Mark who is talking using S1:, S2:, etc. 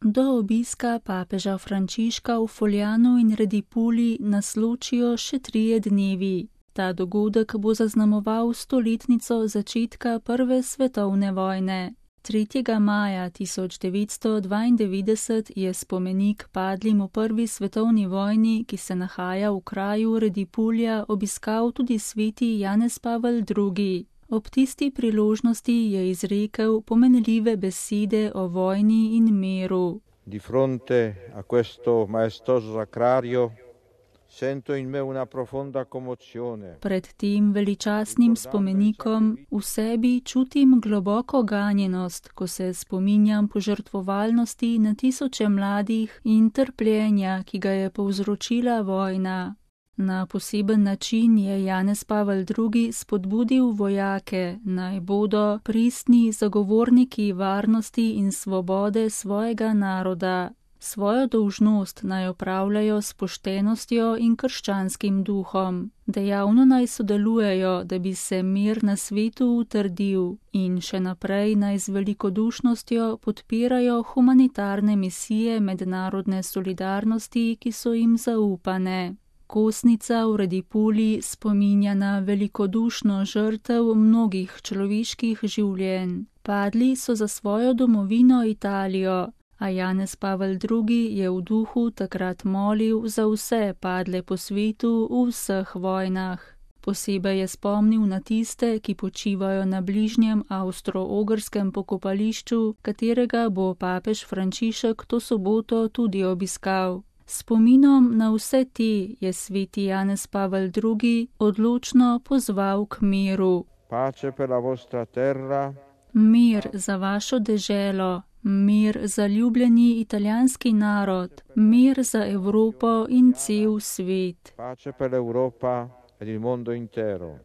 S1: Do obiska papeža Frančiška v Foljanu in Redipuli nas ločijo še 3 dnevi. Ta dogodek bo zaznamoval 100-letnico začetka Prve svetovne vojne. 3. maja 1992 je spomenik padlim v Prvi svetovni vojni, ki se nahaja v kraju Redipulja, obiskal tudi sveti Janez Pavel II. Ob tisti priložnosti je izrekel pomenljive besede o vojni in miru.
S2: Di fronte a questo maestoso sacrario sento in me una profonda commozione.
S1: Pred tem veličastnim spomenikom v sebi čutim globoko ganjenost, ko se spominjam požrtvovalnosti na tisoče mladih in trpljenja, ki ga je povzročila vojna. Na poseben način je Janez Pavel II. Spodbudil vojake, naj bodo pristni zagovorniki varnosti in svobode svojega naroda. Svojo dolžnost naj opravljajo s poštenostjo in krščanskim duhom. Dejavno naj sodelujejo, da bi se mir na svetu utrdil, in še naprej naj z velikodušnostjo podpirajo humanitarne misije mednarodne solidarnosti, ki so jim zaupane. Kosnica v Redipuli spominja na velikodušno žrtev mnogih človeških življenj. Padli so za svojo domovino Italijo, a Janez Pavel II. Je v duhu takrat molil za vse padle po svetu v vseh vojnah. Posebej je spomnil na tiste, ki počivajo na bližnjem avstro-ogrskem pokopališču, katerega bo papež Frančišek to soboto tudi obiskal. Spominom na vse te je sveti Janez Pavel II. Odločno pozval k miru.
S2: Pace per la vostra terra.
S1: Mir za vašo deželo, mir za ljubljeni italijanski narod, mir za Evropo in cel svet.
S2: Pace per l'Europa ed il mondo intero.